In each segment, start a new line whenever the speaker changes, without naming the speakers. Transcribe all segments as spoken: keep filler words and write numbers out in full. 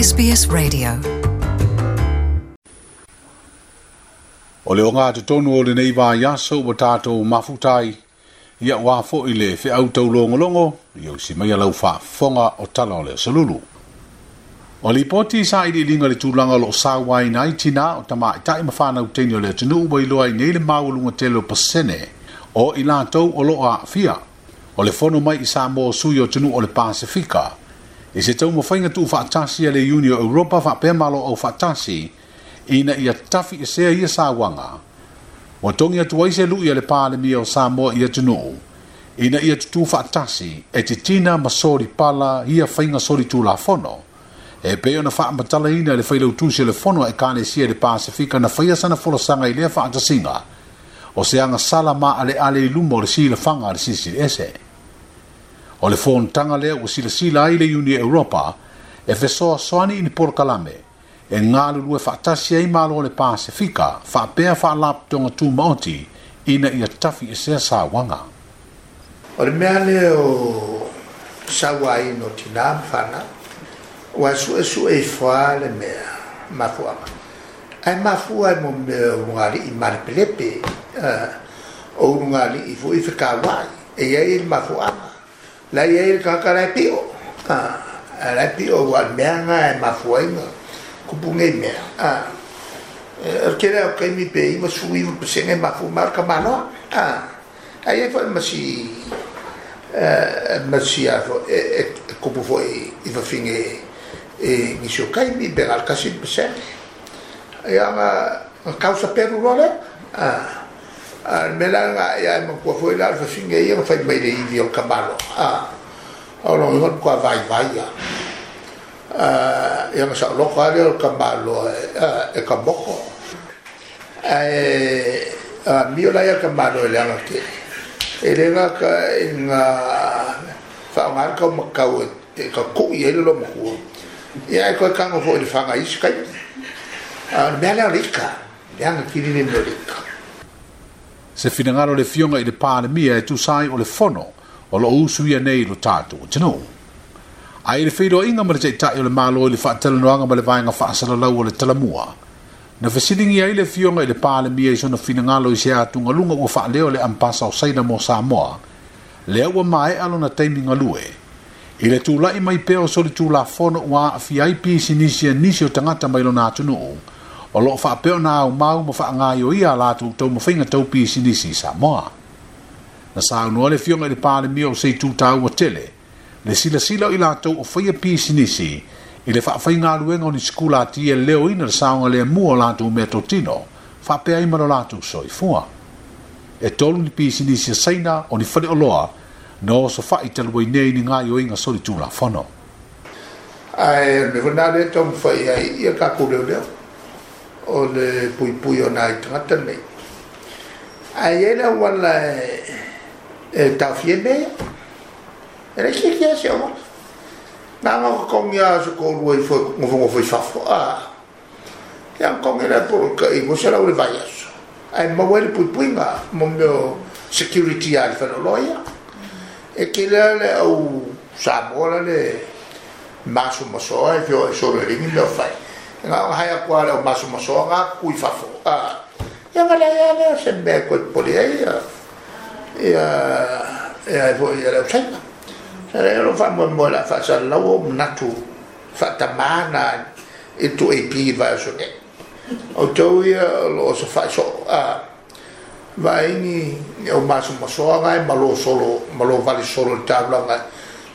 S B S Radio.
O le o ngā te tonu o le nei vai aso ua tātou mafutai, ia wā fo i le whiau tau longolongo, ia usi mai lau whaafonga o tala o le salulu. O li poti sa i linga le tūlanga lo sāwai nai tina o tama i tai mawhana uteni o le tunu ua iloa i nei le maualunga tele o pasene o i lātou o loa fia. O le fono mai i Samoa sui o tunu o le Pasifika. I se tau mawhainga tuu whaatasi a le Uni o Europa whaapea malo au whaatasi ina ia tafi i sea ia sāwanga. Wa tongi atu ai se lui a le Palemia o Samoa i atunuu. Ina ia tutu whaatasi e te tina masori pala ia whainga sori tū fono. E peo na whaamatala ina le whailau le fono e kāne sia le Pasifika na whaia sana folosanga i lea whaatasinga. O se anga sala ma ale ale i lumo le sila whanga le sisi ese. O le fontanga lea ua silasila ai le Uni Europa e fesoasoani i ni polokalame e galulue faatasi ai malo o le Pasifika faapea faalapotoga tumaoti ina ia tafi e sea sauaga.
O le mea lea o sauaina o tinā ma fanau, ua suesue ifo lava le mea mafuaga. Ae mafua ai mo mea o lugalii malepelepe, o ulugalii foʻi fekauaʻi, e iai le mafuaga. La ia le kaka lai pio. Ah, lai pio wa mea nga e mafuainga. Kupu ngai mea. Ah, e ke lea o kaimi pe ima sui ima pesenge mafu mar ka maloa. Ah, ai e foi masi masi a fo e kupu foi i fafinge e nisi o kaimi pe ngal kasi pesenge. Ia nga kausa peru role. Ah, a mela nga ia ma kua foi la fafinge ia fai mai le ivi o kamalo. Ah, o lo ngon kua vai vai ia. Ah, ia ma sa loko ale o kamalo e ka moko. E a mio la ia kamalo le anga ke. E le nga ka nga fa nga ka makau e ka ku ia lo mo. Ia e ko ka ngo fo le fanga is kai. A mela rika. Le anga kiri le mo rika.
Se finangalo le fionga i le Palemia e tusai o le fono o lo usu ia nei lo tātou tino. Ai le whiroa inga ma le teitai o le malo i le whaatalanoanga ma le vaenga whaasalalau o le talamua. Na whasilingi ai le fionga i le Palemia i sona finangalo i se atunga lunga ua whaaleo le ampasa o Saina mo Samoa. Lea ua mae alona taimi ngalue. I le tūlai mai peo soli tū la fono ua afi ai pisinisi a nisi o tangata mai lona atunuu. O loo whaapeo nā au mau ma whaangai o ia lātou tau mawhainga tau pisinisi i Samoa. Na saunua le fionga i le Palemia o sei tūtāua tele, le silasila o i lātou o whaia pisinisi i le whaawhainga aluenga o ni skula ati e leo ina le saonga le mua o lātou mea totino, whaapea ima lo lātou soifua. E tolu ni pisinisi a Saina o ni whale o loa, no so whai taluai nei ni ngai o inga soli tū la fono.
Ai, me whanau le tau mwhai ai ia kākou leo leo. O le puipui o nai tangata nei. Ai e le wala e tawhie mea. E le kia kia se o. Nā ngā kongi a se kōrua i fo ngofo i fafo. A. Ia kongi le poro ka i mo se lau le vai aso. Ai maua le puipui ngā mo meo security a le whanoloia. E ke lea le au Samoa le maso masoa e fio e solo e ringi meo whai. Ngā hai a kua leo maso masoa ngā kui fafo. Ia ngā lea lea se mea koe poli ai ia ia e foi ia leo saina. Sa lea lo wha moe moe la wha sa lau o mnatu wha tamana i tu e pi vai o sone. O tau ia lo sa wha so vai ni o maso masoa ngā e malo solo malo vali solo le taula ngā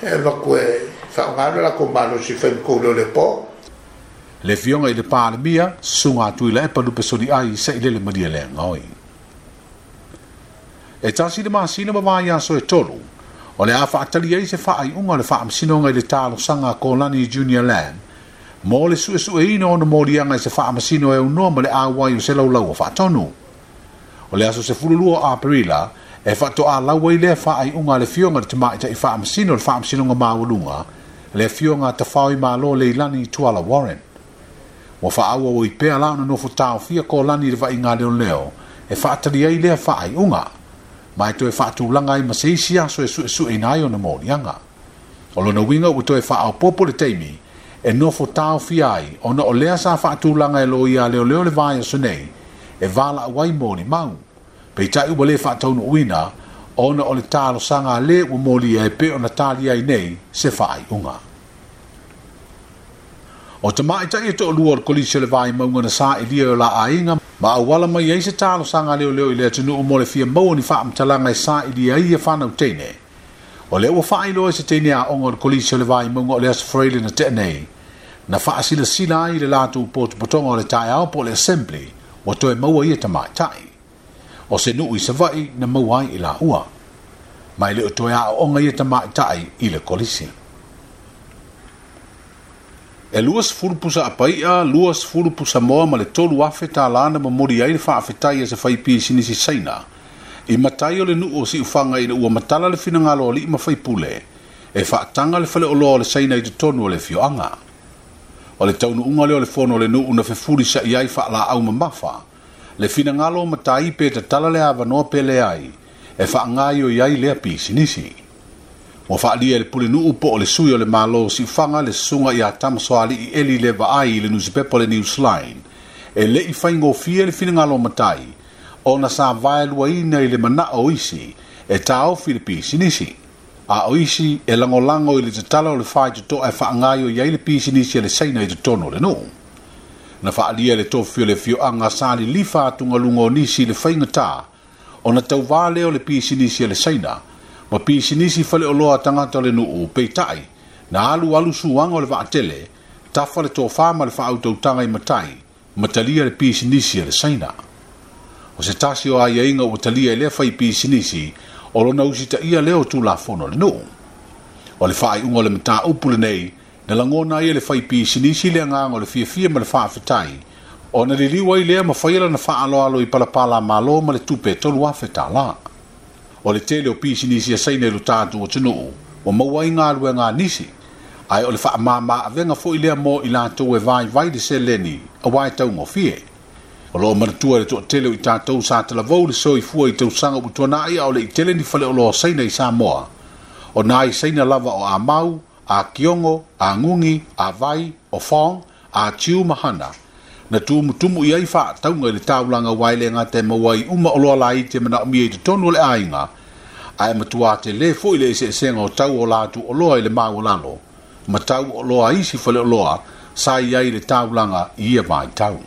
e wakue wha ngā la ko malo si wha mkou leo le po.
Le fionga i le Palemia, sunga atu i le epa lupe soli ai se i lele maria le ngoi. E tasi le masina ma vai aso e tolu, o le a whaatali ai se whaai unga le whaamasinoga i le tālosanga Kōlani Junior Land, mo le sue sue ina ona morianga i se whaamasino e unoa ma le āwai o se laulau o whaatonu. O le aso se fululua a Perila, e whaato a laua i le whaai unga le fionga le tamaita i whaamasino le whaamasinoga mawalunga, le fionga tawhai malo Leilani Tuala Warren. Wa whaaua o i pea lao na nofo tāofia Kōlani le vai ngā leo leo, e whaatali ai lea whaai unga. Mai toe whaatulanga ai maseisi aso e sue sue nai o na morianga. O lona winga ua toe whaao popo le teimi, E nofo taofia ai ona o lea sa faatulaga e loia a leoleo le vaiaso nei e valaau ai molimau. Peitai ua le faataunuuina ona o le talosaga a le ua molia e pei ona talia ai nei se faaiuga. O tamaitai e toalua o le Kolisi o le Vaimauga na sailia i o la aiga ma auala mai ai se talosaga a leoleo i le atunuu mo le fia maua ni faamatalaga e sailia ai ia fanau teine. O lea ua faailoa e se teine aoga o le Kolisi o le Vaimauga o le Aso Faraile na tea nei, na faasilasila ai le latou potopotoga o le taeao po o le assembly ua toe maua ia tamaitai. O se nuu i Savaii na maua ai i laua. Ma e le o toe aooga ia tamaitai i le kolisi. E luasefulu pusa apai'a, luasefulu pusa moa ma le tolu afe tālā na momoli ai le faafetai a se faipisinisi Saina i matai o le nuu o Siufaga ina ua matala le finagalo o alii ma faipule e faataga le faleoloa o le Saina i totonu o le afioaga. O le taunuuga lea o le fono a le nuu na fefulisa'i ai faalaau mamafa le finagalo o matai pe tatala le avanoa pe leai e faagaoioi ai lea pisinisi. Ua faaalia e le pulenuu po o le sui o le Malo o Siufaga le susuga ia Tamasoalii Eli Levaai i le nusipepa o le Newsline e le i faigofie le finagalo o matai ona sa vaeluaina i le manao o isi e taofi le pisinisi, a o isi e lagolago i le tatala o le faitotoa e faagaoioi ai le pisinisi a le Saina i totonu o le nuu. Na faaalia e le tofi o le afioaga sa lilifa atugaluga o nisi i le faigata ona tauvā lea o le pisinisi a le Saina ma pisinisi faleoloa a tagata o le nuu, peitai na alualu suaga o le vaatele, tafa le tofā ma le faautautaga i matai, ma talia le pisinisi a le Saina. O se tasi o aiaiga ua talia e lea faipisinisi o lona usitaia lea o Tulafono a le nuu. O le faaiuga o le mataupu lenei na lagona ai e le faipisinisi le agaga o le fiafia ma le faafetai ona liliu ai lea ma faia lana faaaloalo i palapala a Malo ma le tupe e tolu afe tālā. O le tele o pisinisi a Saina i lo tatou atunuu ua maua ai galuega a nisi, ae o le faamama avega foi lea mo i latou e vaivai le seleni aua e taugofie. O lo o manatua e le toatele o i tatou sa talavou le soifua i tausaga ua tuanai a o le i tele ni faleoloa Saina i Samoa. O nai Saina lava o Amau, a Kiongo, a Ngugi, a Vai, o Fong, a Chiu ma Hana. Na tumutumu i ai faatauga i le taulaga aua e le gata e maua ai uma oloa laiti e manaomia i totonu o le aiga, ae matua tele foi le eseesega o tau o latou oloa i le maualalo ma tau o oloa a isi faleoloa sa i ai i le taulaga i ia vaitau.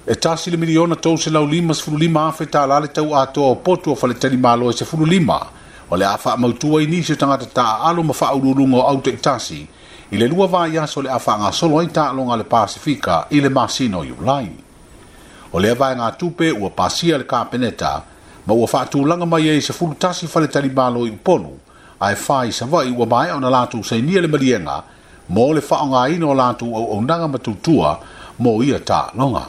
E tasi le miliona tou selau lima sefulu lima afe tālā le tau atoa o potu o faletalimalo e sefulu lima o le a faamautu ai nisi o tagata taaalo ma faauluuluga o au taitasi i le lua vaiaso o le a faagasolo ai taaloga a le Pasefika i le masina o Iulai. O lea vaegatupe ua pasia e le Kapeneta ma ua faatulaga mai ai e sefulu tasi faletalimalo i Upolu ae fa i Savaii ua maea ona latou sainia le maliega mo le faaaogaina o latou auaunaga ma tautua mo ia taaloga.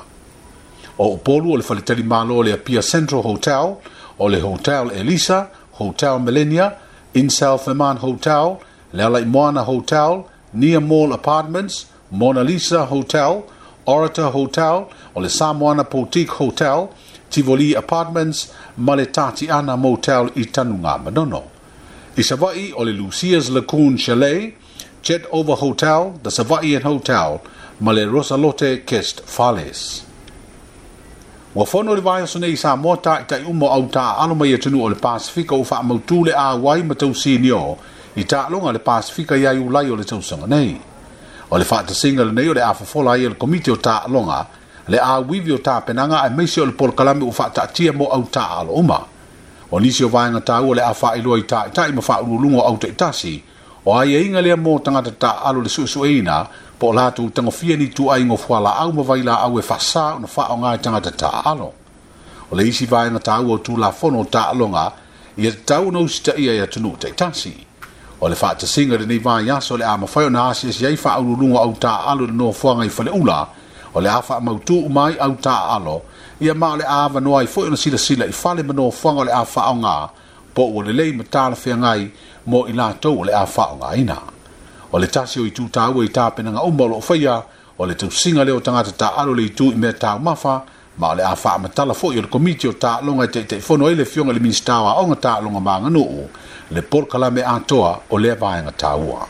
O Upolu o le faletalimalo o le Apia Central Hotel, o le Hotel Elisa, Hotel Millennia, Insel Feman Hotel, le Alaimoana Hotel, Nia Mall Apartments, Mona Lisa Hotel, Orator Hotel, o le Samoana Boutique Hotel, Tivoli Apartments ma le Tatiana Motel i Tanugamanono. I Savaii o le Lucia's Lagoon Chalet, Jet Over Hotel, The Savaiian Hotel ma le Rosalote Guest Fales. Ua fono le vaiaso nei i Samoa taitai uma o au taaalo mai atunuu o le Pasefika ua faamautu le auai ma tausinio i taaloga a le Pasefika ia Iulai o le tausaga nei. O le faatasiga lenei o le a fofola ai e le Komiti o Taaloga le auivi o tapenaga aemaise o le polokalame ua faataatia mo au taaalo uma. O nisi o vaega taua o le a faailoa i taitai ma faauluuluga o au taitasi, o aiaiga lea mo tagata taaalo le suesueina po o latou tagofia ni ituaiga o fualaau ma vailaau e faasa ona faaaoga e tagata taaalo. O le isi vaega taua o Tulafono o Taaloga ia tatau ona usitaia e atunuu taitasi. O le faatasiga i lenei vaiaso o le a mafai ona asiasi ai faauluuluga o au taaalo i le nofoaga i Faleula, o le a faamautu uma ai au taaalo, ia ma o le a avanoa ai foi ona silasila i fale ma nofoaga o le a faaaoga po ua lelei ma talafeagai mo i latou o le a faaaogaina. O le tasi o itu taua i tapenaga uma o lo o faia, o le tausiga lea o tagata taaalo i le itu i mea taumafa, ma o le a faamatala foi e le Komiti o Taaloga e Taitaifono ai le Afioga i le Minisita o Aoga, Taaloga ma Aganuu le polokalame atoa o lea vaega taua.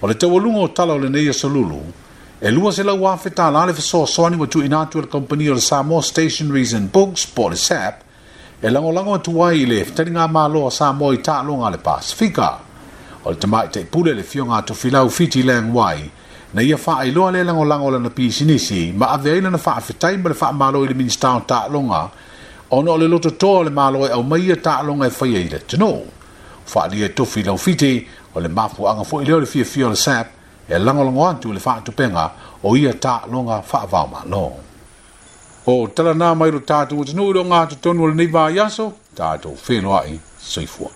O le taualuga o tala o lenei aso lulu, e lua selau afe tālā le fesoasoani ua tuuina atu e le kamupani o le Samoa Stationeries and Books po o le S A P e lagolago atu ai i le fetaligamalo a Samoa i taaloga a le Pasifika. O le tamaitai pule le Afioga a Tofilau Fiti Lang Wai, na ia faailoa le lagolago o lana pisinisi ma ave ai lana faafetai ma le faamalo i le Minisita o Taaloga ona o le lototoa o le malo e aumai ia taaloga e faia i le atunuu. Faaalia e Tofilau Fiti o le mafuaaga foi lea o le fiafia o le S A P e lagolago atu i le faatupega o ia taaloga faavaomalo. O tala nā mai lo tātou atunuu i le ogatotonu o lenei vaiaso, tātou feiloai, soifua.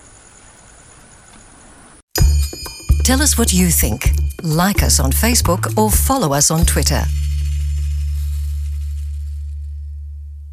Tell us what you think. Like us on Facebook or follow us on Twitter.